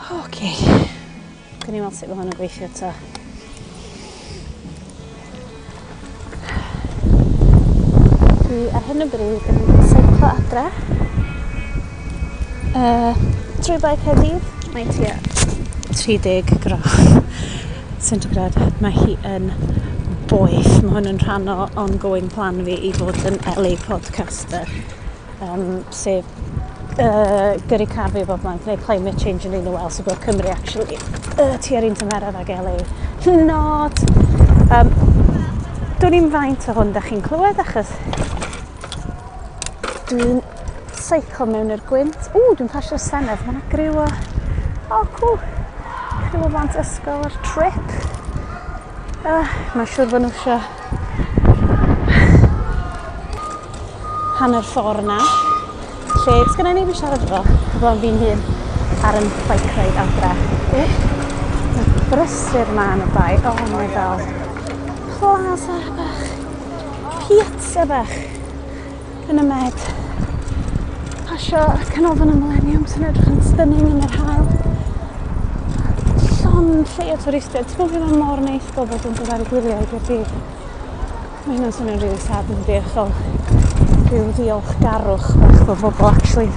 Oce. Gawn ni weld sut mae hwn yn gweithio ta. Dwi ar hyn o bryd yn seiclo adre. Trwy Bae Caerdydd. Mae tua 30 gradd centigrad. Mae hi yn boeth. Mae hwn yn rhan o ongoing plan fi i fod yn LA podcaster. Sef gyrru car fi o bob man, gwneud climate change yn un o Wales, so bod Cymru actually tua'r un tymheredd ag LA. Not! Dwn i'm faint o hwn da chi'n clywed achos dwi'n seiclo mewn i'r gwynt. Ww, dwi'n pasio'r Senedd. Mae yna griw o... O, oh, cool. Criw o blant ysgol ar trip. Mae'n siŵr bod nhw eisiau hanner ffordd na. Lle, sgynna i neb i siarad efo, heblaw fi'n hun ar yn bike ride adre. Mae brysur ma yn y bae. O, oh, mae fel plaza bach, piazza bach yn y Med. Pasio Canolfan y Millennium sy'n edrych yn stunning yn yr haul. Llond lle o twristiaid. Ti'n gwybod beth mae mor neis bobl yn dod ar y gwyliau i Gaerdydd. Mae hynna'n swnio'n rili sad yn dydi? Fel rhyw ddiolchgarwch bach bod bobl actually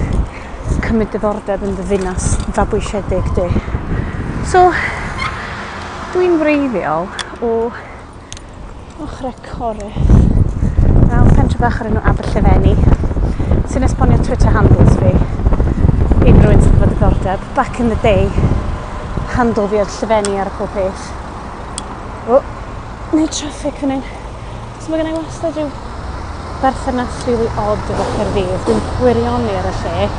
cymryd diddordeb yn dy ddinas fabwysiedig di. So, dwi'n wreiddiol o ochrau Corris. Mewn pentre bach o'r enw Aberllefenni, sy'n esbonio Twitter handles fi. Unrhyw un sydd efo diddordeb. Back in the day, handle fi oedd Llefenni ar y pob peth. O, Neu traffic fan hyn. So mae gennai wastad rhyw berthynas rili od efo Caerdydd. Dwi'n gwirioni ar y lle.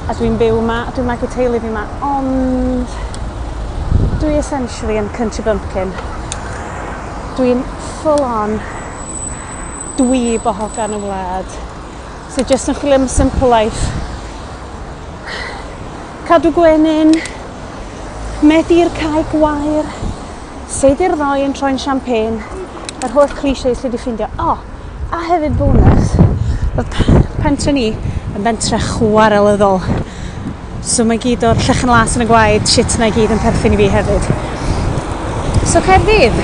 A dwi'n byw yma, a dwi'n magu teulu fi yma, ond dwi essentially yn country bumpkin. Dwi'n full on dweeb o hogan y wlad. Sy jyst yn chwilio am simple life. Cadw gwenyn, medi'r cae gwair, seidir ddoe yn troi'n champagne, yr holl clichés lle di ffindio. O, a hefyd bonus, oedd pentre ni yn bentre chwarelyddol. So mae gyd o'r llechen las yn y gwaed, shit na i gyd yn perthyn i fi hefyd. So Caerdydd.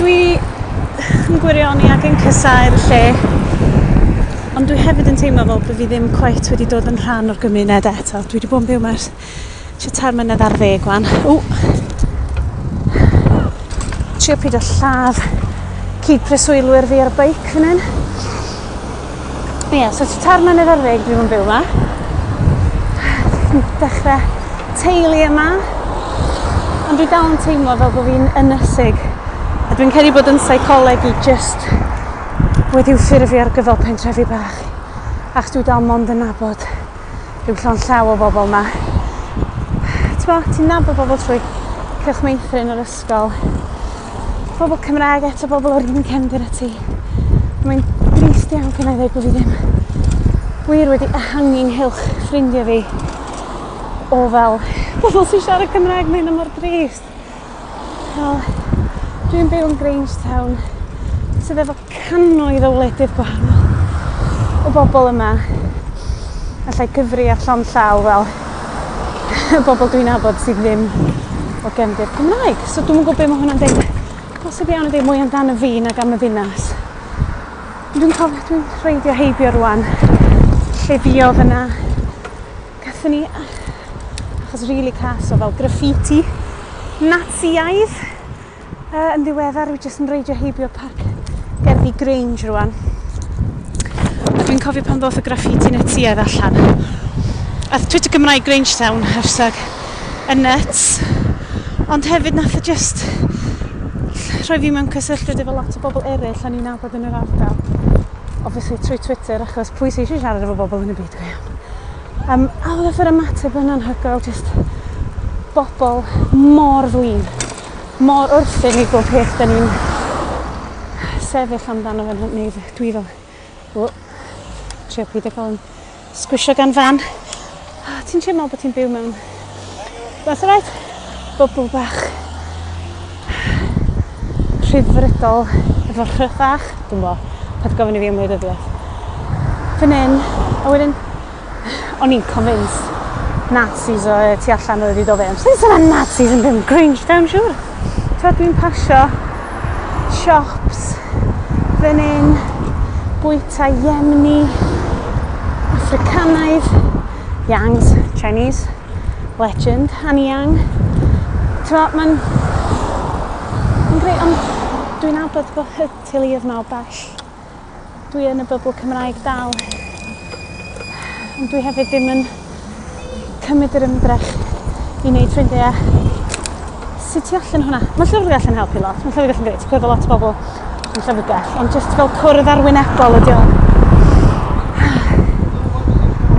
Dwi yn gwirioni ac yn casáu'r lle. Ond dwi hefyd yn teimlo fel bod fi ddim cweit wedi dod yn rhan o'r gymuned eto. Dwi wedi bod yn byw yma ers tua tair mlynedd ar ddeg wan. Ww! Trio pido lladd cyd-preswylwyr fi ar y beic fan hyn. Ie, yeah, so tua 13 mlynedd dwi wedi bod yn byw yma. Dechrau teulu yma. Ond dwi dal yn teimlo fel bod fi'n ynysig. A dwi'n credu bod yn seicoleg i just wedi'w ffurfio ar gyfer pentrefi bach. Achos dwi dal mond yn nabod rhyw llond llaw o bobl ma. T'mo', ti'n nabod bobl trwy cylch meithrin yr ysgol. Pobl Cymraeg eto, bobl o'r un cefndir â ti. Mae'n drist iawn pan i ddweud bod fi ddim wir wedi ehangu nghylch ffrindiau fi o fel bobl sy'n siarad Cymraeg, mae hynna mor drist. Fel, dwi'n byw yn Grangetown sydd efo cannoedd o wledydd gwahanol o bobl yma. Allai gyfri ar llond llaw fel y bobl dwi'n nabod sydd ddim o gefndir Cymraeg. So dwi'm yn gwybod be mae hwnna'n deud. Posib iawn yn deud mwy amdano fi nag am y ddinas. Dwi'n cofio dwi'n reidio heibio rwan lle fuodd yna. Gathon ni achos rili cas o fel graffiti Natsïaidd yn ddiweddar. Dwi jyst yn reidio heibio parc Gerddi Grange rwan. A dwi'n cofio pan ddoth y graffiti Natsïaidd allan. Ath Twitter Gymraeg Grangetown, #ynyts. Ond hefyd nath o just rhoi fi mewn cysylltiad efo lot o bobl eraill o'n i'n nabod yn yr ardal. Obviously trwy Twitter, achos pwy sy'n eisiau siarad efo bobl yn y byd go iawn. A oedd yr ymateb yn anhygoel, just bobl mor flin, mor wrthyn i bob peth da ni'n sefyll amdano fe, neu dwi fel, o, trio peidio cael yn sgwisio gan fan. Oh, ti'n teimlo bod ti'n byw mewn, that's all right, bubble bach rhyddfrydol efo rhy fach, dwi'n bo, paid gofyn i fi am wleidyddiaeth. Fan hyn, a wedyn, O'n i'n convinced Nazis o tu allan oedd wedi dod fewn. Sut yna Nazis yn byw yn Grangetown, siwr? T'wod, dwi'n pasio shops fan hyn, bwyta Yemeni, Africanaidd, Yangs, Chinese, legend, Annie Yang. T'mo', mae'n mae'n greu, ond dwi'n nabod bod y teuluoedd 'ma o bell. Dwi yn y bybl Cymraeg dal. Ond dwi hefyd ddim yn cymryd yr ymdrech i wneud ffrindiau. Sut ti allan hwnna? Mae llyfrgell yn helpu lot. Mae llyfrgell yn grêt. Ti'n cwrdd â lot o bobl yn llyfrgell. Ond just fel cwrdd arwynebol ydi o.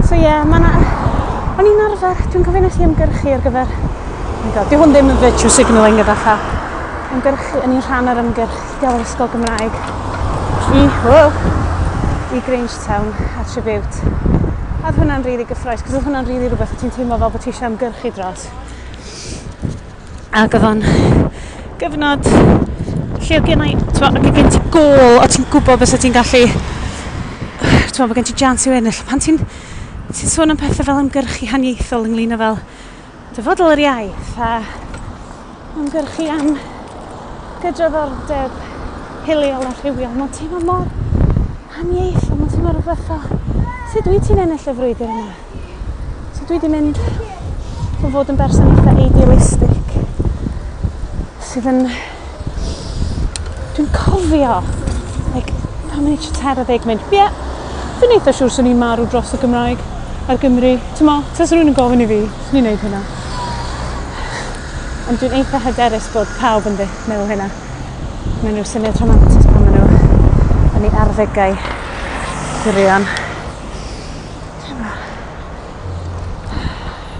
So ie, yeah, mae 'na... O'n i'n arfer, dwi'n cofio nes i ymgyrchu ar gyfer... Oh my God, di hwn ddim yn virtue signalling gyda llaw. Ymgyrchu, o'n i'n rhan o'r ymgyrch i gael yr ysgol Gymraeg i, oh, i Grangetown a Tribute. A oedd hwnna'n rili gyffrous, cos oedd hwnna'n rili rhywbeth o ti'n teimlo fel bod ti eisiau ymgyrchu dros. Ac oedd o'n gyfnod lle oedd gennau, t'mo', ac oedd gen ti gôl, o ti'n gwybod beth ti'n gallu, t'mo', bod gen ti chance i'w ennill. Pan ti'n sôn am pethau fel ymgyrchu haniaethol ynglyn â fel dyfodol yr iaith a ymgyrchu am gydraddoldeb hiliol a rhywiol, mae'n teimlo mor haniaethol, mae'n teimlo rhywbeth fel, sut wyt ti'n ennill y frwydr yna? So dwi wedi mynd o fod yn berson eitha idealistic sydd yn... Dwi'n cofio, like, pan o'n i tua 40 mynd, ie, yeah, dwi'n eitha siŵr swn i'n marw dros y Gymraeg a'r Gymru. T'mo, tase rhywun yn gofyn i fi, swn i'n neud hynna. Ond dwi'n eitha hyderus bod pawb yn meddwl hynna. Mae'n rhyw syniad rhamantus pan maen nhw yn eu arddegau gwirion.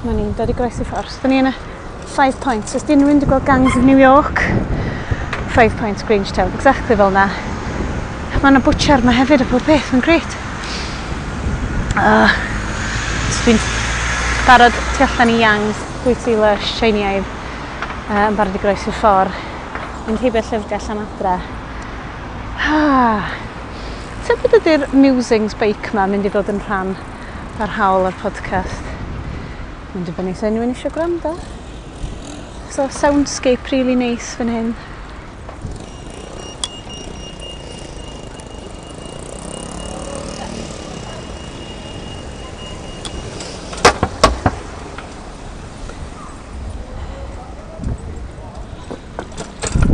Mae ni'n dod i groesi ffordd. Da ni yn y Five Points. Os di unrhyw un wedi gweld Gangs of New York, Five Points Grangetown, exactly fel na. Mae yna bwtsiar yma hefyd a pob peth, mae'n grêt. So dwi'n barod tu allan i Yangs, bwyty lush, Tsieineaidd, yn barod i groesi'r ffordd. Mynd heibio'r llyfrgell am adra. Ah. Tybed ydy'r musings beic 'ma mynd i fod yn rhan parhaol o'r podcast? Mae'n dibynnu os unrhyw un eisiau gwrando. So, soundscape really nice fan hyn.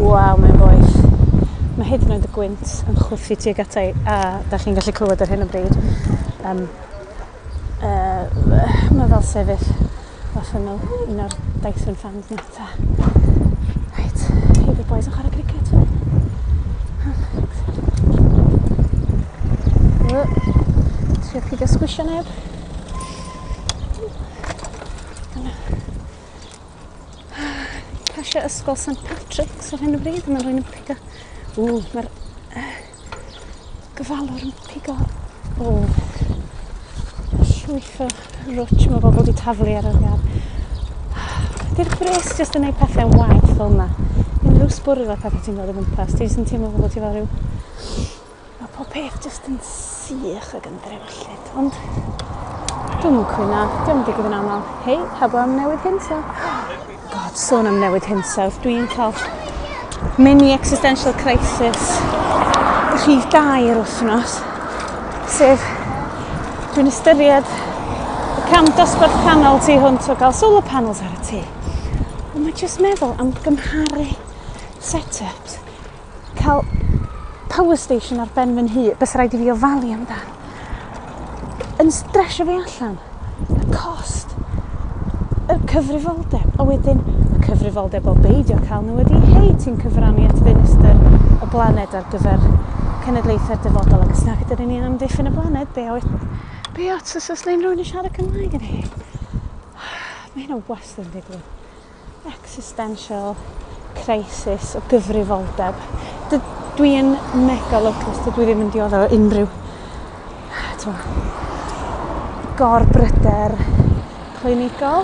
Waw, mae'n boeth. Mae hyd yn oed y gwynt yn chwythu tuag ata i, a da chi'n gallu clywed ar hyn o bryd. Mae fel sefyll wrth ymyl un o'r Dyson fans na ta. Reit, heibio'r boys yn chwarae cricket. Trio pidio sgwisio neb. Dyna. Pasio ysgol St Patrick's ar hyn o bryd, mae rhywun yn pigo... Ww, mae'r gofalwr yn pigo... O, llwyth o rwtsh mae bobl wedi taflu ar yr iard. Di'r gwres jyst yn neud pethau'n waeth fel yma. Unrhyw sbwriel a pethau ti'n gweld o gwmpas, ti jyst yn teimlo fel bod ti fel rhyw... Mae pob peth jyst yn sych ac yn ddrewllyd, ond dwi'm yn cwyno, dio'm yn digwydd yn aml. Hei, pawb am newid hinsawdd. God, sôn am newid hinsawdd, dwi'n cael mini existential crisis rhif 2 yr wythnos, sef dwi'n ystyried y cam dosbarth canol tu hwnt o gael solar panels ar y tŷ. Ond mae jyst meddwl am gymharu set-ups, cael power station ar ben fy nhŷ, bys rhaid i fi ofalu amdan, yn stresio fi allan. Y cost, y cyfrifoldeb, a wedyn y cyfrifoldeb o beidio cael nhw ydi, hei, ti'n cyfrannu at ddinistr y blaned ar gyfer cenedlaethau'r dyfodol, ac os nag ydyn ni'n amddiffyn y blaned, be ots os oes unrhyw un yn siarad Cymraeg yn hi? Mae hynna wastad yn digwydd. Existential crisis o gyfrifoldeb. Dwi yn mega lwcus, dydw i ddim yn dioddef o unrhyw, t'mo', gorbryder clinigol.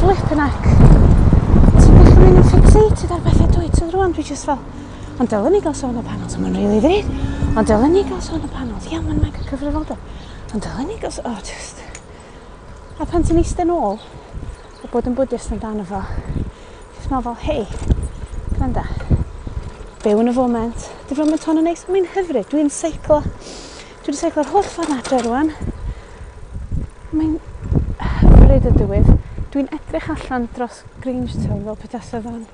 Flippin' heck. Ti'n gallu mynd yn fixated ar bethau dwyt? So rwan dwi just fel, ond dylen ni gael solar panels, ond mae'n rili ddrud. Ond dylen ni gael solar panels, ia, mae'n mega cyfrifoldeb. Ond dylen ni gos, oh, just. A pan ti'n eistedd nôl, a bod yn Buddhist amdano fo, jyst meddwl fel, hei, gwranda, byw yn y foment. Di foment hon yn neis, mae'n hyfryd, dwi'n seiclo. Dwi wedi seiclo'r holl ffordd adre rwan. Mae'n hyfryd y dywydd. Dwi'n edrych allan dros Grangetown fel petasa fo'n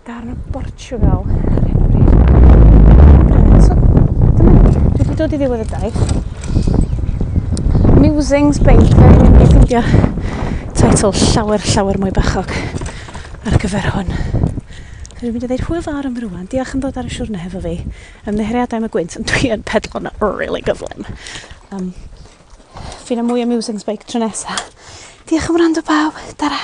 darn o Portugal ar hyn o bryd. Brilliant. So, dyma ni. Dwi wedi dod i ddiwedd y daith. Musings Beic. Fe ni'n mynd i ffeindio teitl llawer, llawer mwy bachog ar gyfer hwn. So dwi'n mynd i ddeud hwyl fawr am rwan. Diolch am ddod ar y siwrne hefo fi. Ymddiheuriadau am y gwynt, ond dwi yn pedlo'n really gyflym. Ffeindio mwy o Musings Bike tro nesa. Diolch am wrando, bawb. Tara.